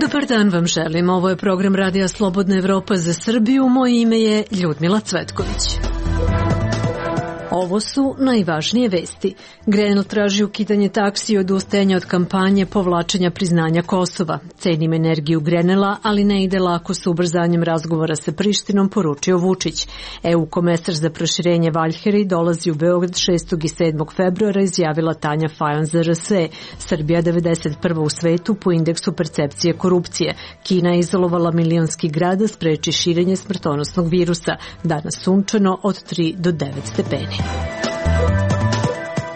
Dobar dan vam želim. Ovo je program Radija Slobodna Evropa za Srbiju. Moje ime je Ljudmila Cvetković. Ovo su najvažnije vesti. Grenell traži ukidanje taksi i odustajanje od kampanje povlačenja priznanja Kosova. Cenim energiju Grenella, ali ne ide lako sa ubrzanjem razgovora sa Prištinom, poručio Vučić. EU komesar za proširenje Valjheri dolazi u Beograd 6. i 7. februara, izjavila Tanja Fajon za RS. Srbija 91. u svetu po indeksu percepcije korupcije. Kina je izolovala milionski grad da spreči širenje smrtonosnog virusa. Danas sunčano od 3 do 9 stepeni.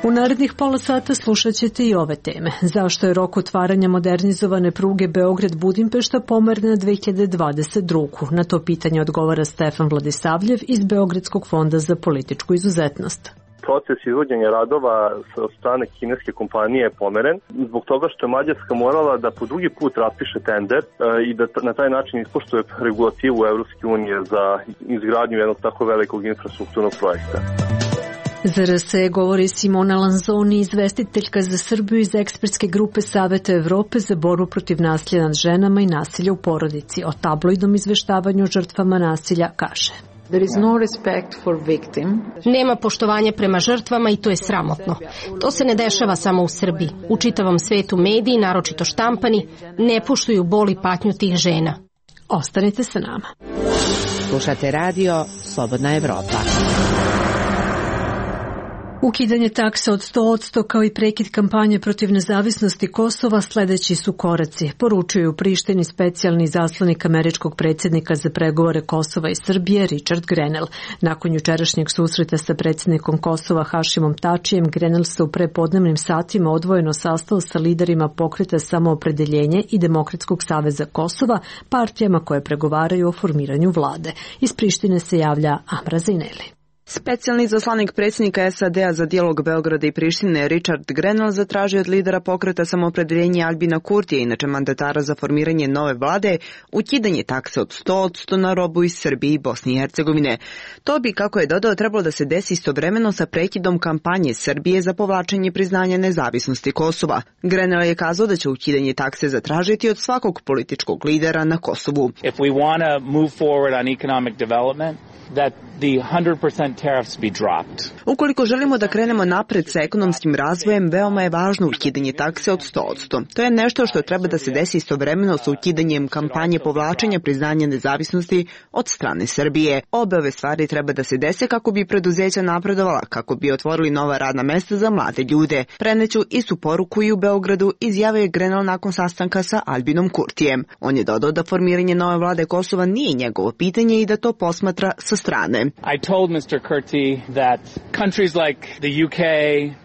U narednih pola sata slušat ćete i ove teme. Zašto je rok otvaranja modernizovane pruge Beograd-Budimpešta pomeren na 2022. Na to pitanje odgovara Stefan Vladisavljev iz Beogradskog fonda za političku izuzetnost. Proces izvođenja radova od strane kineske kompanije je pomeren zbog toga što je Mađarska morala da po drugi put raspiše tender i da na taj način ispoštuje regulativu Evropske unije za izgradnju jednog tako velikog infrastrukturnog projekta. Za RS govori Simona Lanzoni, izvestiteljka za Srbiju iz ekspertske grupe Saveta Evrope za borbu protiv nasilja nad ženama i nasilja u porodici. O tabloidnom izveštavanju žrtvama nasilja kaže: Nema poštovanja prema žrtvama i to je sramotno. To se ne dešava samo u Srbiji. U čitavom svetu mediji, naročito štampani, ne poštuju bol i patnju tih žena. Ostanite sa nama. Slušate radio Slobodna Evropa. Ukidanje taksa od 100% kao i prekid kampanje protiv nezavisnosti Kosova sledeći su koraci, poručuju u Prištini specijalni zaslanik američkog predsjednika za pregovore Kosova i Srbije Richard Grenell. Nakon jučerašnjeg susreta sa predsjednikom Kosova Hašimom Tačijem, Grenell se u prepodnevnim satima odvojeno sastao sa liderima Pokreta Samoopredeljenje i Demokratskog saveza Kosova, partijama koje pregovaraju o formiranju vlade. Iz Prištine se javlja Amra Zaineli. Specijalni zaslanik predsjednika SAD-a za dijalog Beograda i Prištine Richard Grenell zatražio od lidera Pokreta Samoopredeljenja Albina Kurtija, inače mandatara za formiranje nove vlade, ukidanje takse od 100% na robu iz Srbije i Bosne i Hercegovine. To bi, kako je dodao, trebalo da se desi istovremeno sa prekidom kampanje Srbije za povlačenje priznanja nezavisnosti Kosova. Grenell je kazao da će ukidanje takse zatražiti od svakog političkog lidera na Kosovu. If we want to move forward on economic development, that the 100% tariffs be dropped. Ukoliko želimo da krenemo napred sa ekonomskim razvojem, veoma je važno ukidanje takse od 100%. To je nešto što treba da se desi istovremeno sa ukidanjem kampanje povlačenja priznanja nezavisnosti od strane Srbije. Obe ove stvari treba da se dese kako bi preduzeća napredovala, kako bi otvorili nova radna mesta za mlade ljude. Preneću istu poruku i u Beogradu, izjavio je Grenell nakon sastanka sa Albinom Kurtijem. On je dodao da formiranje nove vlade Kosova nije njegovo pitanje i da to posmatra sa strane. I told Mr. Kurti that countries like the UK...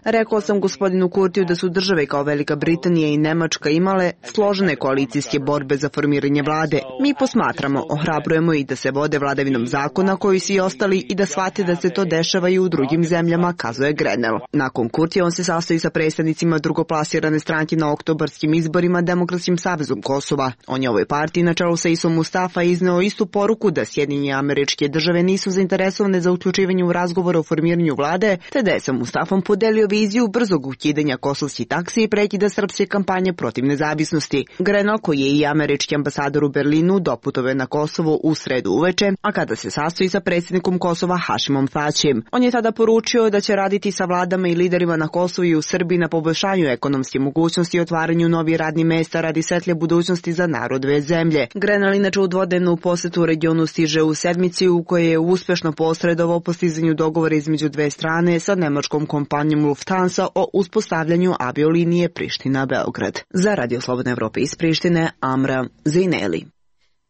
Rekao sam gospodinu Kurtiju da su države kao Velika Britanija i Nemačka imale složene koalicijske borbe za formiranje vlade. Mi posmatramo, ohrabrujemo i da se vode vladavinom zakona koji svi ostali i da shvate da se to dešava i u drugim zemljama, kazuje Grenell. Nakon Kurtija on se sastoji sa predstavnicima drugoplasirane stranke na oktobarskim izborima Demokratskim savezom Kosova. On je ovoj partiji na čelu sa Isom Mustafa izneo istu poruku da Sjedinjene Američke Države nisu zainteresovane za uključivanje u razgovore o formiranju vlade, te da je sa Mustafom podelio viziju brzog ukidanja kosovskih taksi i prekida srpske kampanje protiv nezavisnosti. Grenell, koji je i američki ambasador u Berlinu, doputovao na Kosovo u sredu uveče, a kada se sastoji sa predsjednikom Kosova Hašimom Tačijem. On je tada poručio da će raditi sa vladama i liderima na Kosovu i u Srbiji na poboljšanju ekonomske mogućnosti i otvaranju novih radnih mesta radi svetlje budućnosti za narod dve zemlje. Grenell inače u dvodnevnu posetu u regionu stiže u sedmici u kojoj je uspešno posredovao postizanju dogovora između dve strane sa nemačkom kompanijom Lufthansa o uspostavljanju aviolinije Priština-Beograd. Za Radio Slobodna Evropa iz Prištine, Amra Zaineli.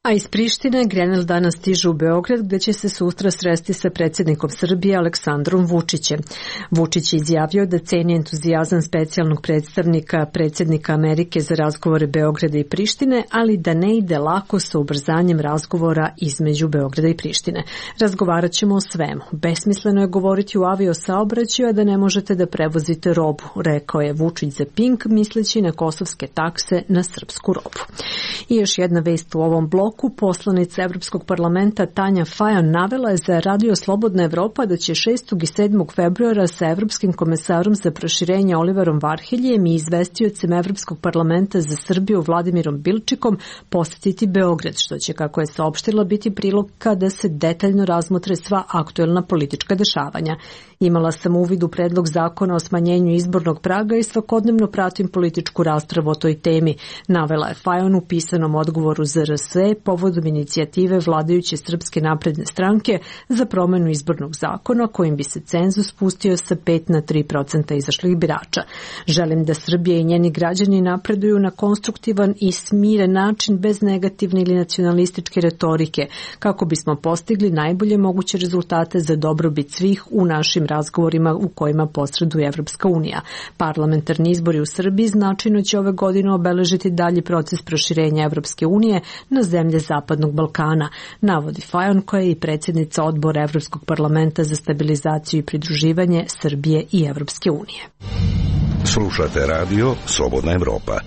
A iz Prištine Grenell danas stiže u Beograd gde će se sutra sresti sa predsjednikom Srbije Aleksandrom Vučićem. Vučić je izjavio da ceni entuzijazam specijalnog predstavnika predsjednika Amerike za razgovore Beograda i Prištine, ali da ne ide lako sa ubrzanjem razgovora između Beograda i Prištine. Razgovarat ćemo o svemu. Besmisleno je govoriti u aviosaobraćaju, a da ne možete da prevozite robu, rekao je Vučić za Pink, misleći na kosovske takse na srpsku robu. I još jedna vest u ovom bloku. Poslanica Evropskog parlamenta Tanja Fajon navela je za Radio Slobodna Evropa da će 6. i 7. februara sa Evropskim komesarom za proširenje Oliverom Varheljem i izvestiocem Evropskog parlamenta za Srbiju Vladimirom Bilčikom posetiti Beograd, što će, kako je saopštila, biti prilika da se detaljno razmotre sva aktuelna politička dešavanja. Imala sam uvid u predlog zakona o smanjenju izbornog praga i svakodnevno pratim političku raspravu o toj temi, navela je Fajon u pisanom odgovoru ZRS povodom inicijative vladajuće Srpske napredne stranke za promenu izbornog zakona kojim bi se cenzus spustio sa 5 na 3% izašlih birača. Želim da Srbija i njeni građani napreduju na konstruktivan i smiren način bez negativne ili nacionalističke retorike, kako bismo postigli najbolje moguće rezultate za dobrobit svih u našim razgovorima u kojima posreduje Evropska unija. Parlamentarni izbori u Srbiji značajno će ove godine obeležiti dalji proces proširenja Evropske unije na zemlje Zapadnog Balkana, navodi Fajon, koja je i predsjednica odbora Evropskog parlamenta za stabilizaciju i pridruživanje Srbije i Evropske unije. Slušate radio Slobodna Evropa.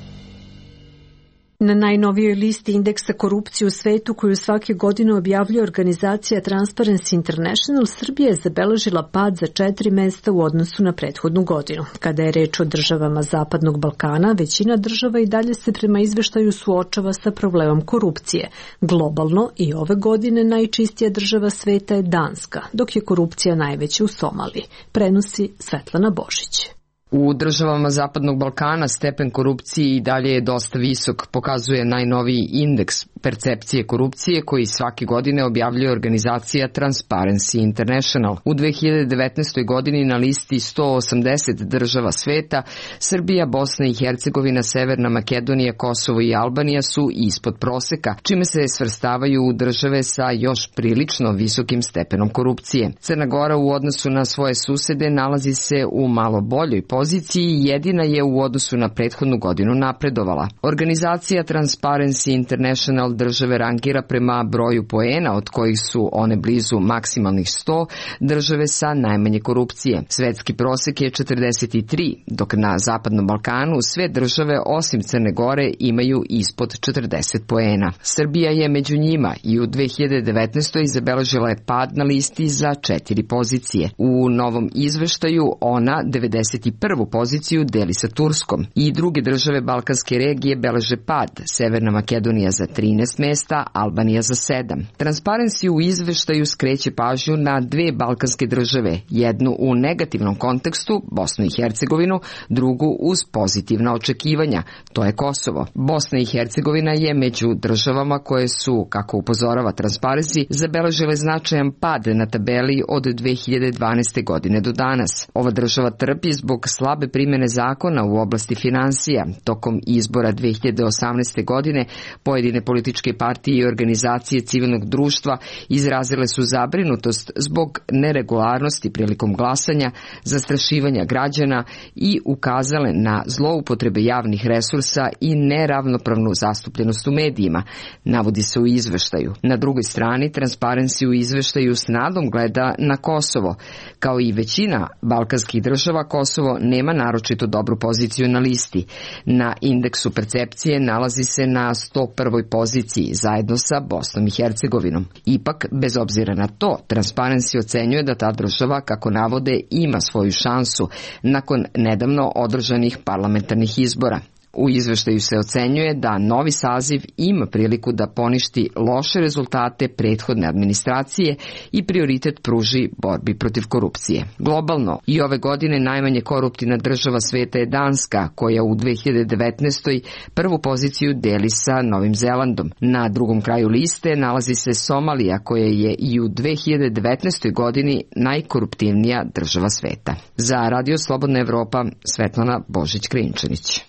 Na najnovijoj listi indeksa korupcije u svetu koju svake godine objavljuje organizacija Transparency International, Srbija je zabeležila pad za 4 mesta u odnosu na prethodnu godinu. Kada je reč o državama Zapadnog Balkana, većina država i dalje se prema izveštaju suočava sa problemom korupcije. Globalno i ove godine najčistija država sveta je Danska, dok je korupcija najveća u Somaliji. Prenosi Svetlana Božić. U državama Zapadnog Balkana stepen korupcije i dalje je dosta visok, pokazuje najnoviji indeks percepcije korupcije koji svake godine objavljuje organizacija Transparency International. U 2019. godini na listi 180 država sveta, Srbija, Bosna i Hercegovina, Severna Makedonija, Kosovo i Albanija su ispod proseka, čime se svrstavaju u države sa još prilično visokim stepenom korupcije. Crna Gora u odnosu na svoje susede nalazi se u malo boljoj poziciji i jedina je u odnosu na prethodnu godinu napredovala. Organizacija Transparency International države rangira prema broju poena, od kojih su one blizu maksimalnih 100, države sa najmanje korupcije. Svetski prosek je 43, dok na Zapadnom Balkanu sve države osim Crne Gore imaju ispod 40 poena. Srbija je među njima i u 2019. zabeležila je pad na listi za 4 pozicije. U novom izveštaju ona 91. poziciju deli sa Turskom i druge države Balkanske regije beleže pad, Severna Makedonija za 13 mesta, Albanija za 7. Transparency u izveštaju skreće pažnju na 2 balkanske države, jednu u negativnom kontekstu, Bosnu i Hercegovinu, drugu uz pozitivna očekivanja, to je Kosovo. Bosna i Hercegovina je među državama koje su, kako upozorava Transparency, zabeležile značajan pad na tabeli od 2012. godine do danas. Ova država trpi zbog slabe primjene zakona u oblasti finansija. Tokom izbora 2018. godine pojedine političke partije i organizacije civilnog društva izrazile su zabrinutost zbog neregularnosti prilikom glasanja, zastrašivanja građana i ukazale na zloupotrebe javnih resursa i neravnopravnu zastupljenost u medijima, navodi se u izveštaju. Na drugoj strani, Transparency u izveštaju s nadom gleda na Kosovo. Kao i većina balkanskih država, Kosovo nema naročito dobru poziciju na listi. Na indeksu percepcije nalazi se na 101. poziciji zajedno sa Bosnom i Hercegovinom. Ipak, bez obzira na to, Transparency ocenjuje da ta država, kako navode, ima svoju šansu nakon nedavno održanih parlamentarnih izbora. U izveštaju se ocenjuje da novi saziv ima priliku da poništi loše rezultate prethodne administracije i prioritet pruži borbi protiv korupcije. Globalno, i ove godine najmanje koruptivna država sveta je Danska, koja u 2019. prvu poziciju deli sa Novim Zelandom. Na drugom kraju liste nalazi se Somalija, koja je i u 2019. godini najkoruptivnija država sveta. Za Radio Slobodna Evropa, Svetlana Božić-Krinčanić.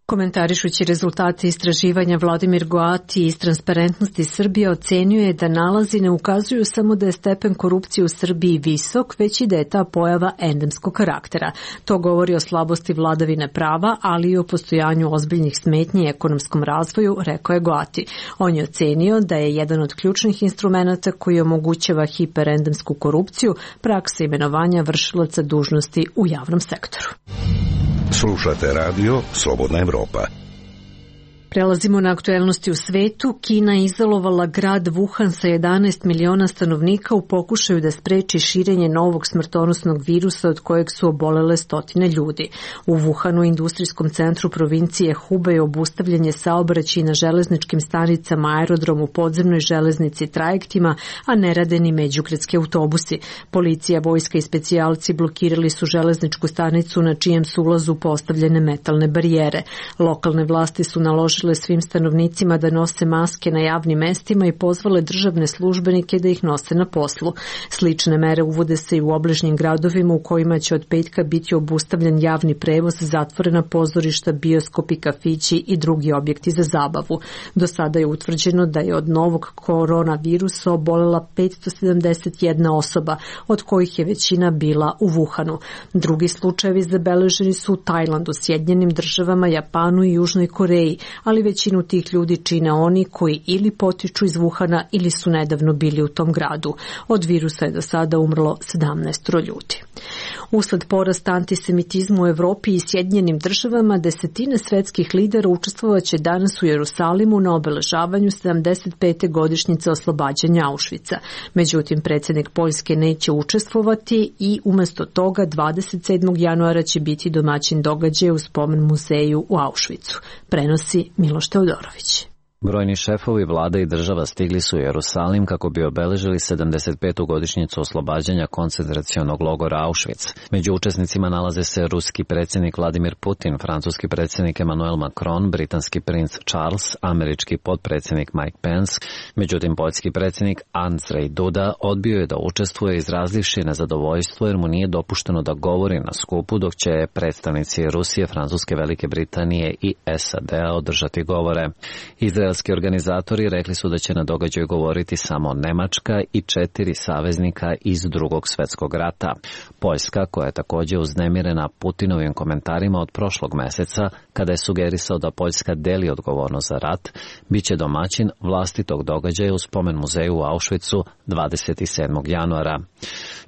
Komentarišući rezultate istraživanja, Vladimir Goati iz Transparentnosti Srbije ocenjuje da nalazi ne ukazuju samo da je stepen korupcije u Srbiji visok, već i da je ta pojava endemskog karaktera. To govori o slabosti vladavine prava, ali i o postojanju ozbiljnih smetnji i ekonomskom razvoju, rekao je Goati. On je ocenio da je jedan od ključnih instrumenata koji omogućava hiperendemsku korupciju praksa imenovanja vršilaca dužnosti u javnom sektoru. Slušate radio Slobodna Evropa. Prelazimo na aktuelnosti u svetu. Kina je izolovala grad Wuhan sa 11 miliona stanovnika u pokušaju da spreči širenje novog smrtonosnog virusa od kojeg su obolele stotine ljudi. U Wuhanu, industrijskom centru provincije Hubei, je obustavljanje saobraćaja na železničkim stanicama, aerodromu, podzemnoj železnici, trajektima, a ne rade ni međugradski autobusi. Policija, vojska i specijalci blokirali su železničku stanicu na čijem su ulazu postavljene metalne barijere. Lokalne vlasti su naložile svim stanovnicima da nose maske na javnim mestima i pozvale državne službenike da ih nose na poslu. Slične mere uvode se i u obližnjim gradovima u kojima će od petka biti obustavljen javni prevoz, zatvorena pozorišta, bioskopi, kafići i drugi objekti za zabavu. Do sada je utvrđeno da je od novog koronavirusa obolela 571 osoba, od kojih je većina bila u Wuhanu. Drugi slučajevi zabeleženi su u Tajlandu, Sjedinjenim Državama, Japanu i Južnoj Koreji, ali većinu tih ljudi čine oni koji ili potiču iz Wuhana ili su nedavno bili u tom gradu. Od virusa je do sada umrlo 17 ljudi. Usled porasta antisemitizma u Evropi i Sjedinjenim Državama, desetine svetskih lidera učestvovaće danas u Jerusalimu na obeležavanju 75. godišnjice oslobađanja Auschwitza. Međutim, predsjednik Poljske neće učestvovati i umesto toga 27. januara će biti domaćin događaja u spomen muzeju u Auschwitzu. Prenosi Miloš Teodorović. Brojni šefovi vlada i država stigli su u Jerusalim kako bi obeležili 75. godišnjicu oslobađanja koncentracionog logora Auschwitz. Među učesnicima nalaze se ruski predsjednik Vladimir Putin, francuski predsjednik Emmanuel Macron, britanski princ Charles, američki potpredsjednik Mike Pence. Međutim, poljski predsjednik Andrzej Duda odbio je da učestvuje, izrazivši nezadovoljstvo jer mu nije dopušteno da govori na skupu, dok će predstavnici Rusije, Francuske, Velike Britanije i SAD-a održati govore. Izraelski organizatori rekli su da će na događaju govoriti samo Nemačka i 4 saveznika iz Drugog svjetskog rata. Poljska, koja je također uznemirena Putinovim komentarima od prošlog meseca, kada je sugerisao da Poljska deli odgovornost za rat, bit će domaćin vlastitog događaja u spomen muzeju u Auschwitzu 27. januara.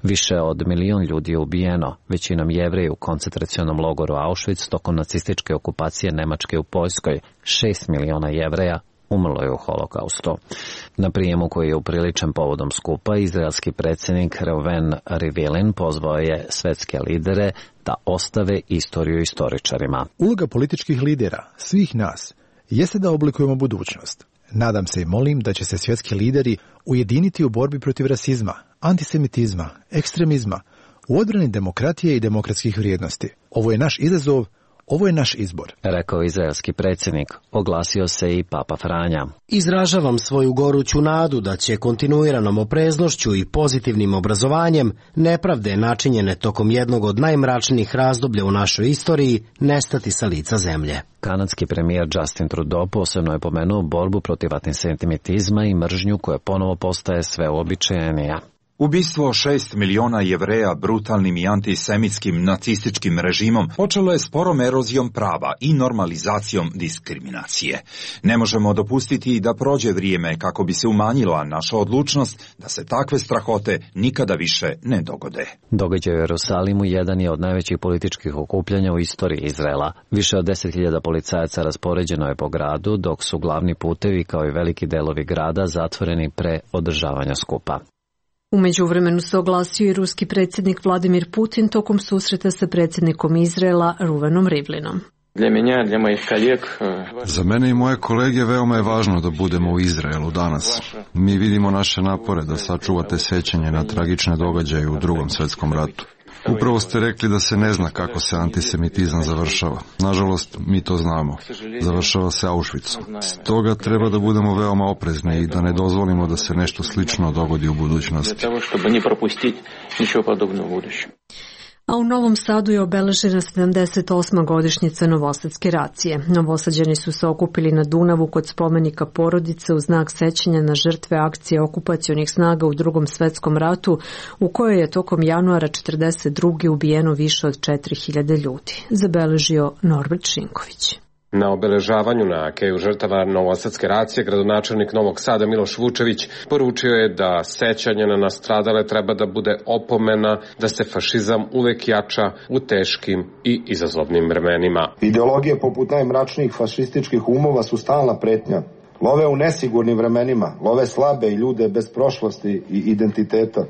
Više od 1 milion ljudi je ubijeno, većinom Jevreji u koncentracionom logoru Auschwitz tokom nacističke okupacije Nemačke u Poljskoj. 6 miliona Jevreja umrlo je u holokaustu. Na prijemu koji je upriličen povodom skupa, izraelski predsjednik Reuven Rivlin pozvao je svetske lidere da ostave istoriju istoričarima. Uloga političkih lidera, svih nas, jeste da oblikujemo budućnost. Nadam se i molim da će se svjetski lideri ujediniti u borbi protiv rasizma, antisemitizma, ekstremizma, u odbrani demokratije i demokratskih vrijednosti. Ovo je naš izazov, ovo je naš izbor, rekao izraelski predsjednik. Oglasio se i Papa Franja. Izražavam svoju goruću nadu da će kontinuiranom opreznošću i pozitivnim obrazovanjem nepravde načinjene tokom jednog od najmračnijih razdoblja u našoj istoriji nestati sa lica zemlje. Kanadski premijer Justin Trudeau posebno je pomenuo borbu protiv antisemitizma i mržnju koja ponovo postaje sve uobičajenija. Ubistvo 6 miliona Jevreja brutalnim i antisemitskim nacističkim režimom počelo je sporom erozijom prava i normalizacijom diskriminacije. Ne možemo dopustiti da prođe vrijeme kako bi se umanjila naša odlučnost da se takve strahote nikada više ne dogode. Događaj u Jerusalimu jedan je od najvećih političkih okupljanja u istoriji Izraela. Više od 10.000 policajaca raspoređeno je po gradu, dok su glavni putevi kao i veliki delovi grada zatvoreni pre održavanja skupa. U međuvremenu se oglasio i ruski predsjednik Vladimir Putin tokom susreta sa predsjednikom Izraela Reuvenom Rivlinom. Za mene i moje kolege veoma je važno da budemo u Izraelu danas. Mi vidimo naše napore da sačuvate sećanje na tragične događaje u Drugom svjetskom ratu. Upravo ste rekli da se ne zna kako se antisemitizam završava. Nažalost, mi to znamo. Završava se Auschwitzom. Stoga treba da budemo veoma oprezni i da ne dozvolimo da se nešto slično dogodi u budućnosti. A u Novom Sadu je obeležena 78. godišnjica Novosadske racije. Novosađani su se okupili na Dunavu kod spomenika Porodice u znak sećanja na žrtve akcije okupacionih snaga u Drugom svjetskom ratu, u kojoj je tokom januara 1942. ubijeno više od 4000 ljudi. Zabeležio Norbert Šinković. Na obeležavanju na keju žrtava novosadske racije gradonačelnik Novog Sada Miloš Vučević poručio je da sećanje na nastradale treba da bude opomena da se fašizam uvek jača u teškim i izazovnim vremenima. Ideologije poput najmračnijih fašističkih umova su stalna pretnja. Love u nesigurnim vremenima, love slabe i ljude bez prošlosti i identiteta.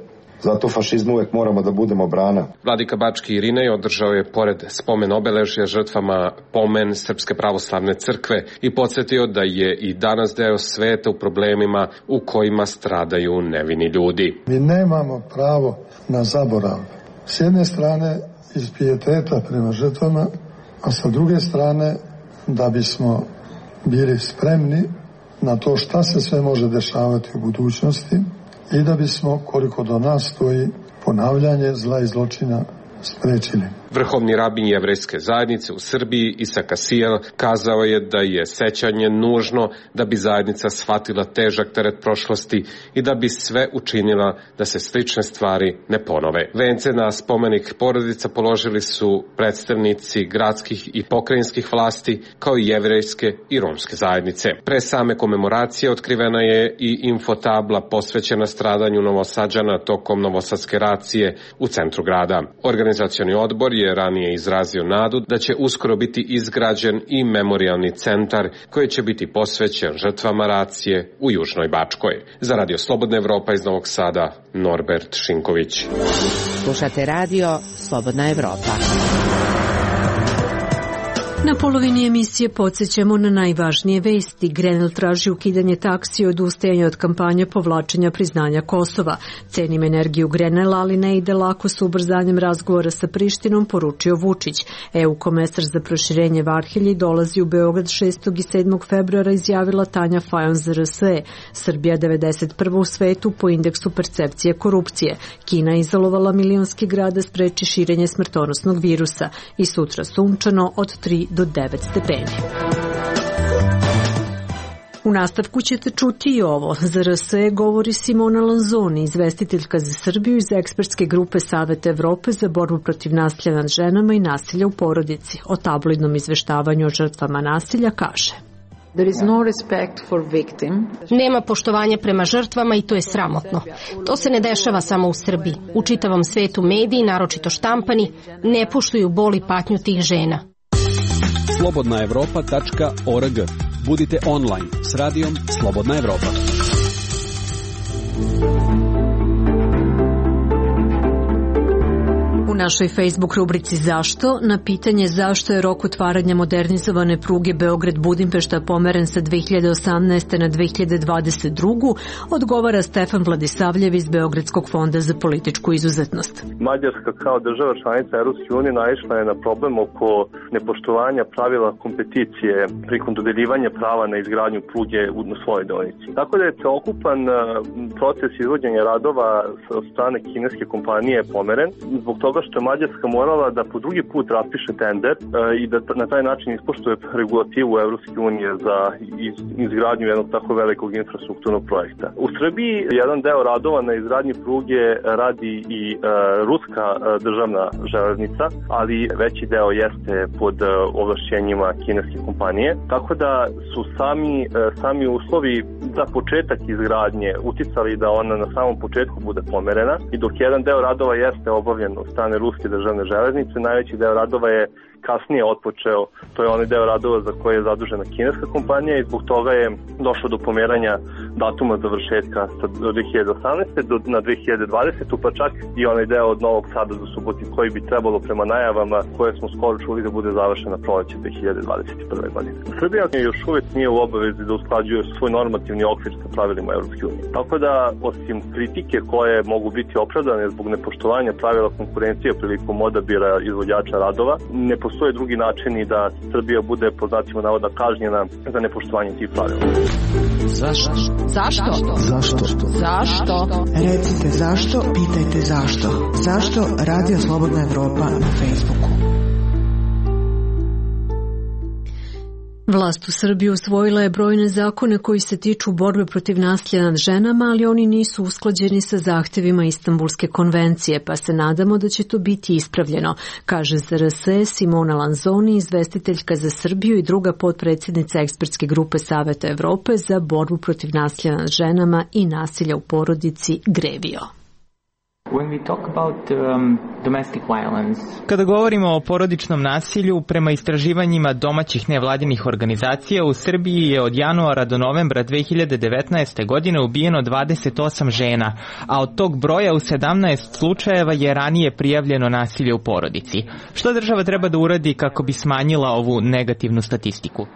Zato fašizmu uvek moramo da budemo brana. Vladika Bački Irinej održao je pored spomen obeležja žrtvama pomen Srpske pravoslavne crkve i podsjetio da je i danas deo sveta u problemima u kojima stradaju nevini ljudi. Mi nemamo pravo na zaborav. S jedne strane iz pijeteta prema žrtvama, a sa druge strane da bismo bili spremni na to šta se sve može dešavati u budućnosti i da bismo, koliko do nas stoji, ponavljanje zla i zločina sprečili. Vrhovni rabin jevrejske zajednice u Srbiji Isak Asijel kazao je da je sećanje nužno da bi zajednica shvatila težak teret prošlosti i da bi sve učinila da se slične stvari ne ponove. Vence na spomenik porodica položili su predstavnici gradskih i pokrajinskih vlasti kao i jevrejske i romske zajednice. Pre same komemoracije otkrivena je i infotabla posvećena stradanju Novosađana tokom novosadske racije u centru grada. Organizacioni odbor je ranije izrazio nadu da će uskoro biti izgrađen i memorijalni centar koji će biti posvećen žrtvama racije u Južnoj Bačkoj. Za Radio Slobodna Evropa iz Novog Sada, Norbert Šinković. Slušate Radio Slobodna Evropa. Na polovini emisije podsjećamo na najvažnije vesti. Grenell traži ukidanje taksi i odustajanje od kampanje povlačenja priznanja Kosova. Cenim energiju Grenella, ali ne ide lako sa ubrzanjem razgovora sa Prištinom, poručio Vučić. EU komesar za proširenje Varhelji dolazi u Beograd 6. i 7. februara, izjavila Tanja Fajon za RSE. Srbija 91. u svetu po indeksu percepcije korupcije. Kina izolovala milionski grad da spreči širenje smrtonosnog virusa. I sutra sunčano od 3 do 9 stepeni. U nastavku ćete čuti i ovo. Za RSE govori Simona Lanzoni, izvestiteljka za Srbiju iz ekspertske grupe Saveta Evrope za borbu protiv nasilja nad ženama i nasilja u porodici. O tabloidnom izveštavanju o žrtvama nasilja kaže: Nema poštovanja prema žrtvama i to je sramotno. To se ne dešava samo u Srbiji. U čitavom svetu mediji, naročito štampani, ne poštuju bol i patnju tih žena. slobodnaevropa.org. Budite online s radijom Slobodna Evropa. U našoj Facebook rubrici Zašto? Na pitanje zašto je rok otvaranja modernizovane pruge Beograd-Budimpešta pomeren sa 2018. na 2022. odgovara Stefan Vladisavljev iz Beogradskog fonda za političku izuzetnost. Mađarska kao država članica Europske unije naišla je na problem oko nepoštovanja pravila kompeticije prilikom dodeljivanja prava na izgradnju pruge u svojoj deonici. Tako da je celokupan proces izvođenja radova od strane kineske kompanije pomeren zbog toga što je Mađarska morala da po drugi put raspiše tender i da na taj način ispoštuje regulativu Evropske unije za izgradnju jednog tako velikog infrastrukturnog projekta. U Srbiji jedan deo radova na izgradnji pruge radi i ruska državna železnica, ali veći deo jeste pod ovlašćenjima kineske kompanije, tako da su sami uslovi za početak izgradnje uticali da ona na samom početku bude pomerena i dok jedan deo radova jeste obavljen od strane ruske državne železnice, najveći deo radova je kasnije otpočeo, to je onaj deo radova za koje je zadužena kineska kompanija i zbog toga je došlo do pomeranja datuma završetka sa 2018. na 2020. pa čak i onaj deo od Novog Sada do Subotice koji bi trebalo prema najavama koje smo skoro čuli da bude završena proleće 2021. godine. Srbija još uvijek nije u obavezi da usklađuje svoj normativni okvir sa pravilima Evropske unije. Tako da, osim kritike koje mogu biti opravdane zbog nepoštovanja pravila konkurencije prilikom odabira izvođača radova, ne postoje drugi načini da Srbija bude, po znacima navoda, kažnjena za nepoštovanje tih pravila. Zašto? Zašto? Zašto? Zašto? Recite zašto, pitajte zašto. Zašto Radio Slobodna Evropa na Facebooku? Vlast u Srbiji usvojila je brojne zakone koji se tiču borbe protiv nasilja nad ženama, ali oni nisu usklađeni sa zahtevima Istanbulske konvencije, pa se nadamo da će to biti ispravljeno, kaže za RS Simona Lanzoni, izvestiteljka za Srbiju i druga potpredsjednica ekspertske grupe Saveta Evrope za borbu protiv nasilja nad ženama i nasilja u porodici Grevio. Kada govorimo o porodičnom nasilju, prema istraživanjima domaćih nevladinih organizacija, u Srbiji je od januara do novembra 2019. godine ubijeno 28 žena, a od tog broja u 17 slučajeva je ranije prijavljeno nasilje u porodici. Što država treba da uradi kako bi smanjila ovu negativnu statistiku?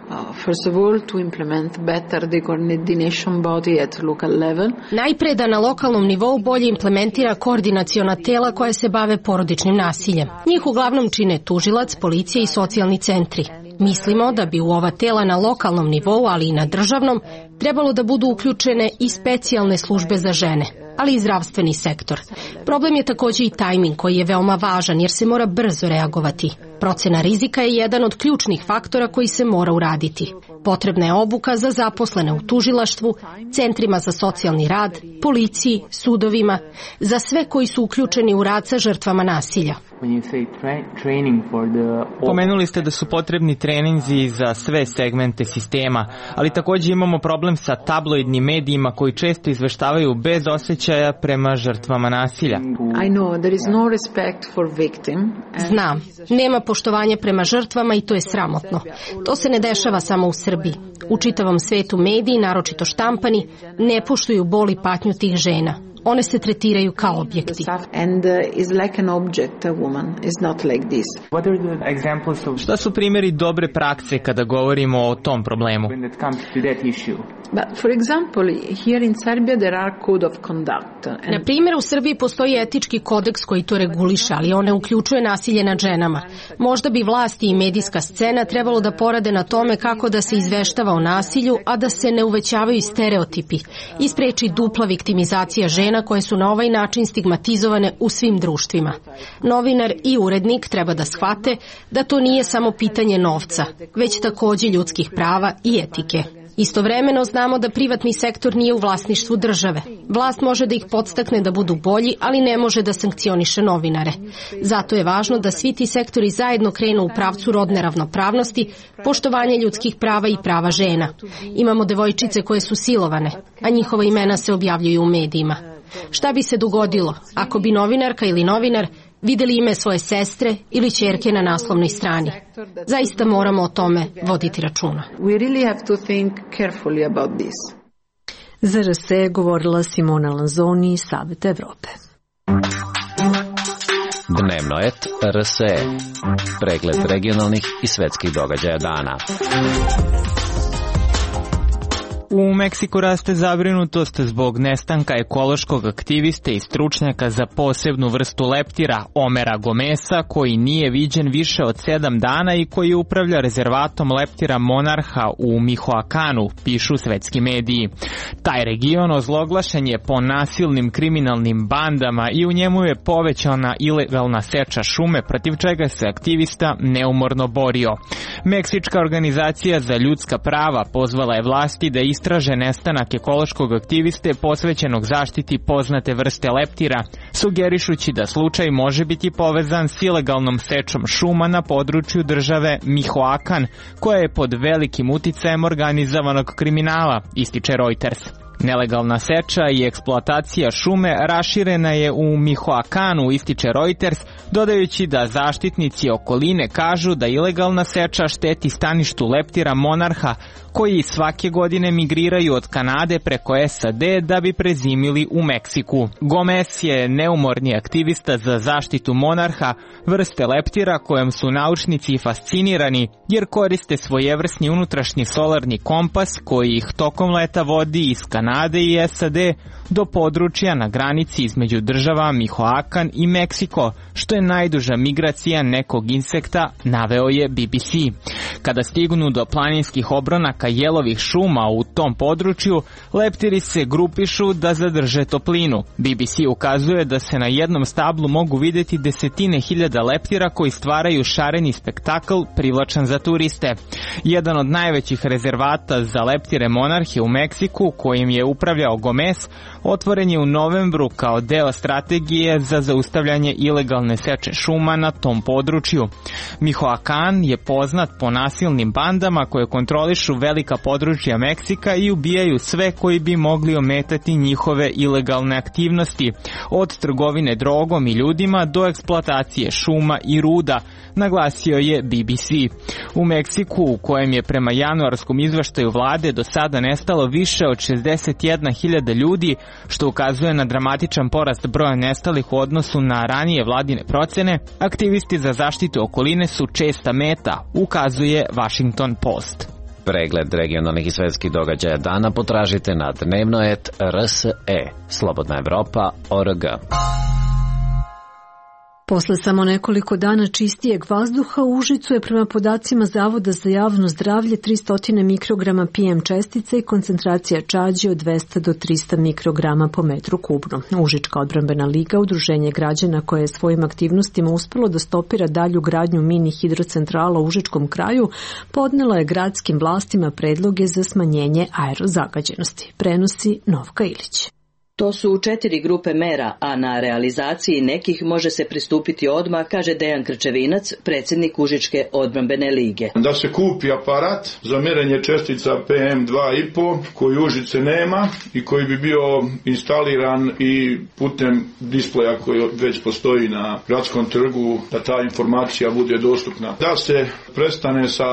Najpre da na lokalnom nivou bolje implementira koordinaciona tela koja se bave porodičnim nasiljem. Njih uglavnom čine tužilac, policija i socijalni centri. Mislimo da bi u ova tela na lokalnom nivou, ali i na državnom, trebalo da budu uključene i specijalne službe za žene, ali i zdravstveni sektor. Problem je takođe i tajming koji je veoma važan jer se mora brzo reagovati. Procena rizika je jedan od ključnih faktora koji se mora uraditi. Potrebna je obuka za zaposlene u tužilaštvu, centrima za socijalni rad, policiji, sudovima, za sve koji su uključeni u rad sa žrtvama nasilja. Pomenuli ste da su potrebni treninzi za sve segmente sistema, ali takođe imamo problem sa tabloidnim medijima koji često izveštavaju bez osjećaja prema žrtvama nasilja. Znam, nema poštovanja prema žrtvama i to je sramotno. To se ne dešava samo u Srbiji. U čitavom svetu mediji, naročito štampani, ne poštuju bol i patnju tih žena. One se tretiraju kao objekti. Šta su primjeri dobre prakse kada govorimo o tom problemu? Na primjer, u Srbiji postoji etički kodeks koji to reguliše, ali on ne uključuje nasilje nad ženama. Možda bi vlasti i medijska scena trebalo da porade na tome kako da se izveštava o nasilju, a da se ne uvećavaju stereotipi i spreči dupla viktimizacija žena koje su na ovaj način stigmatizovane u svim društvima. Novinar i urednik treba da shvate da to nije samo pitanje novca, već takođe ljudskih prava i etike. Istovremeno znamo da privatni sektor nije u vlasništvu države. Vlast može da ih podstakne da budu bolji, ali ne može da sankcioniše novinare. Zato je važno da svi ti sektori zajedno krenu u pravcu rodne ravnopravnosti, poštovanja ljudskih prava i prava žena. Imamo devojčice koje su silovane, a njihova imena se objavljuju u medijima. Šta bi se dogodilo ako bi novinarka ili novinar videli ime svoje sestre ili ćerke na naslovnoj strani? Zaista moramo o tome voditi računa. Za RS je govorila Simona Lanzoni iz Saveta Evrope. Dnevno et RSE. Pregled regionalnih i svetskih događaja dana. U Meksiku raste zabrinutost zbog nestanka ekološkog aktiviste i stručnjaka za posebnu vrstu leptira, Omera Gomesa, koji nije viđen više od 7 dana i koji upravlja rezervatom leptira Monarha u Mihoakanu, pišu svetski mediji. Taj region ozloglašen je po nasilnim kriminalnim bandama i u njemu je povećana ilegalna seča šume, protiv čega se aktivista neumorno borio. Meksička organizacija za ljudska prava pozvala je vlasti da istraže nestanak ekološkog aktiviste posvećenog zaštiti poznate vrste leptira, sugerišući da slučaj može biti povezan s ilegalnom sečom šuma na području države Mihoakan, koja je pod velikim uticajem organizovanog kriminala, ističe Reuters. Nelegalna seča i eksploatacija šume raširena je u Mihoakanu, ističe Reuters, dodajući da zaštitnici okoline kažu da ilegalna seča šteti staništu leptira Monarha, koji svake godine migriraju od Kanade preko SAD da bi prezimili u Meksiku. Gomez je neumorni aktivista za zaštitu Monarha, vrste leptira kojom su naučnici fascinirani jer koriste svojevrsni unutrašnji solarni kompas koji ih tokom leta vodi iz Kanade i SAD do područja na granici između država Mihoakan i Meksiko, što je najduža migracija nekog insekta, naveo je BBC. Kada stignu do planinskih obronaka vlasnika jelovih šuma u tom području, leptiri se grupišu da zadrže toplinu. BBC ukazuje da se na jednom stablu mogu vidjeti desetine hiljada leptira koji stvaraju šareni spektakl privlačan za turiste. Jedan od najvećih rezervata za leptire monarhe u Meksiku, kojim je upravljao Gomez, otvoren je u novembru kao deo strategije za zaustavljanje ilegalne seče šuma na tom području. Michoacán je poznat po nasilnim bandama koje kontrolišu velika područja Meksika i ubijaju sve koji bi mogli ometati njihove ilegalne aktivnosti, od trgovine drogom i ljudima do eksploatacije šuma i ruda, naglasio je BBC. U Meksiku, u kojem je prema januarskom izveštaju vlade do sada nestalo više od 61.000 ljudi, što ukazuje na dramatičan porast broja nestalih u odnosu na ranije vladine procene, aktivisti za zaštitu okoline su česta meta, ukazuje Washington Post. Pregled regionalnih i svetskih događaja dana potražite na dnevno.rse, slobodnaevropa.org. Posle samo nekoliko dana čistijeg vazduha u Užicu je prema podacima Zavoda za javno zdravlje 300 mikrograma PM čestica i koncentracija čađi od 200 do 300 mikrograma po metru kubno. Užička odbrambena liga, udruženje građana koje je svojim aktivnostima uspelo da stopira dalju gradnju mini hidrocentrala u Užičkom kraju, podnela je gradskim vlastima predloge za smanjenje aerozagađenosti. Prenosi Novka Ilić. To su 4 grupe mera, a na realizaciji nekih može se pristupiti odmah, kaže Dejan Krčevinac, predsjednik Užičke odbrambene lige. Da se kupi aparat za merenje čestica PM2,5 koji Užice nema i koji bi bio instaliran i putem displeja koji već postoji na gradskom trgu, da ta informacija bude dostupna. Da se prestane sa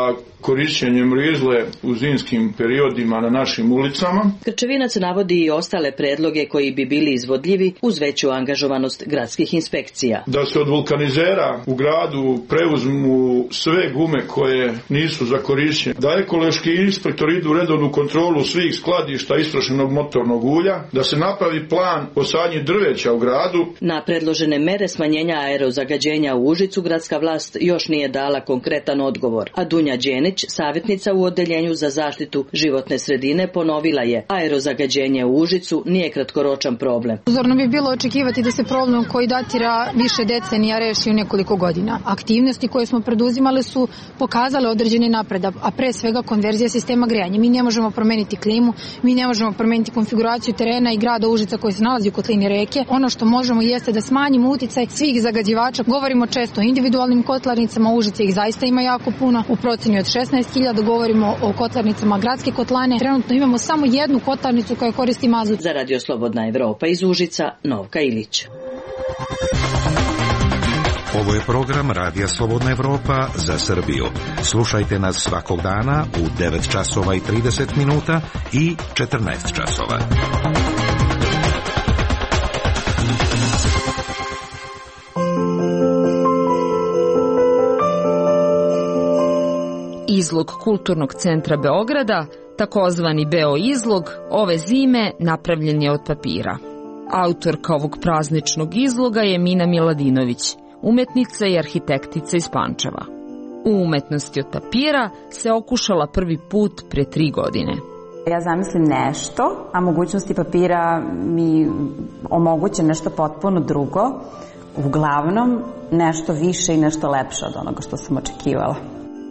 korišćenjem rizle u zimskim periodima na našim ulicama. Krčevinac navodi i ostale predloge koji bi bili izvodljivi uz veću angažovanost gradskih inspekcija. Da se od vulkanizera u gradu preuzmu sve gume koje nisu za korišćenje. Da ekološki inspektori idu u redovnu kontrolu svih skladišta istrošenog motornog ulja. Da se napravi plan o sadnji drveća u gradu. Na predložene mere smanjenja aerozagađenja u Užicu gradska vlast još nije dala konkretan odgovor, a Dunja Đenić, savjetnica u Odeljenju za zaštitu životne sredine, ponovila je: aerozagađenje u Užicu nije kratkoročan problem. Uzorno bi bilo očekivati da se problem koji datira više decenija reši u nekoliko godina. Aktivnosti koje smo preduzimali su pokazale određeni napredak, a pre svega konverzija sistema grejanja. Mi ne možemo promeniti klimu, mi ne možemo promeniti konfiguraciju terena i grada Užica koji se nalazi u kotlini reke. Ono što možemo jeste da smanjimo uticaj svih zagađivača. Govorimo često o individualnim kotlarnicama, Užice ih zaista ima jako puno, u proceni od 16.000, govorimo o kotlarnicama gradske kotlane. Trenutno imamo samo jednu kotlarnicu koja koristi mazut. Za Radio Slobodna Evropa iz Užica, Novka Ilić. Ovo je program Radija Slobodna Evropa za Srbiju. Slušajte nas svakog dana u 9 časova i 30 minuta i 14 časova. Izlog Kulturnog centra Beograda, takozvani Beo izlog, ove zime napravljen je od papira. Autorka ovog prazničnog izloga je Mina Miladinović, umetnica i arhitektica iz Pančeva. U umetnosti od papira se okušala prvi put pre 3 godine. Ja zamislim nešto, a mogućnosti papira mi omoguće nešto potpuno drugo, uglavnom nešto više i nešto lepše od onoga što sam očekivala.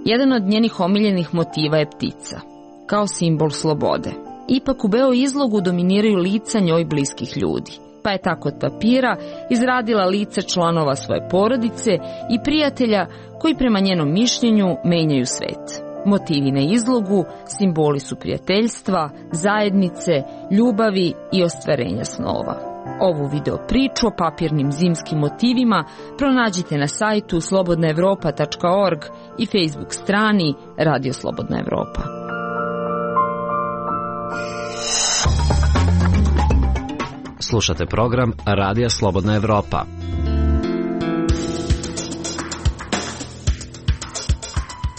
Jedan od njenih omiljenih motiva je ptica, kao simbol slobode. Ipak u Beo izlogu dominiraju lica njoj bliskih ljudi, pa je tako od papira izradila lica članova svoje porodice i prijatelja koji prema njenom mišljenju menjaju svet. Motivi na izlogu simboli su prijateljstva, zajednice, ljubavi i ostvarenja snova. Ovu video priču o papirnim zimskim motivima pronađite na sajtu slobodnaevropa.org i Facebook strani Radio Slobodna Evropa. Slušate program Radija Slobodna Evropa.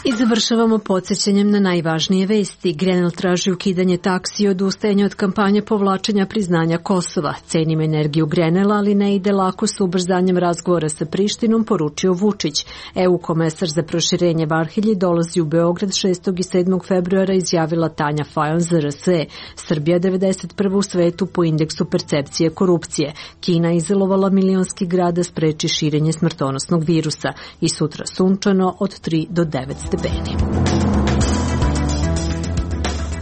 I završavamo podsjećanjem na najvažnije vesti. Grenell traži ukidanje taksi i odustajanje od kampanje povlačenja priznanja Kosova. Cenim energiju Grenella, ali ne ide lako s ubrzanjem razgovora sa Prištinom, poručio Vučić. EU komesar za proširenje Varhelji dolazi u Beograd 6. i 7. februara, izjavila Tanja Fajon za RSE. Srbija 91. u svetu po indeksu percepcije korupcije. Kina izolovala milionski grad da spreči širenje smrtonosnog virusa. I sutra sunčano od 3 do 9 stepeni.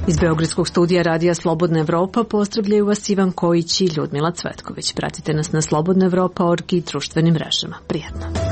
Iz Beogradskog studija Radija Slobodna Evropa pozdravljaju vas Ivan Kojić i Ljudmila Cvetković. Pratite nas na slobodnaevropa.org i društvenim mrežama. Prijatno.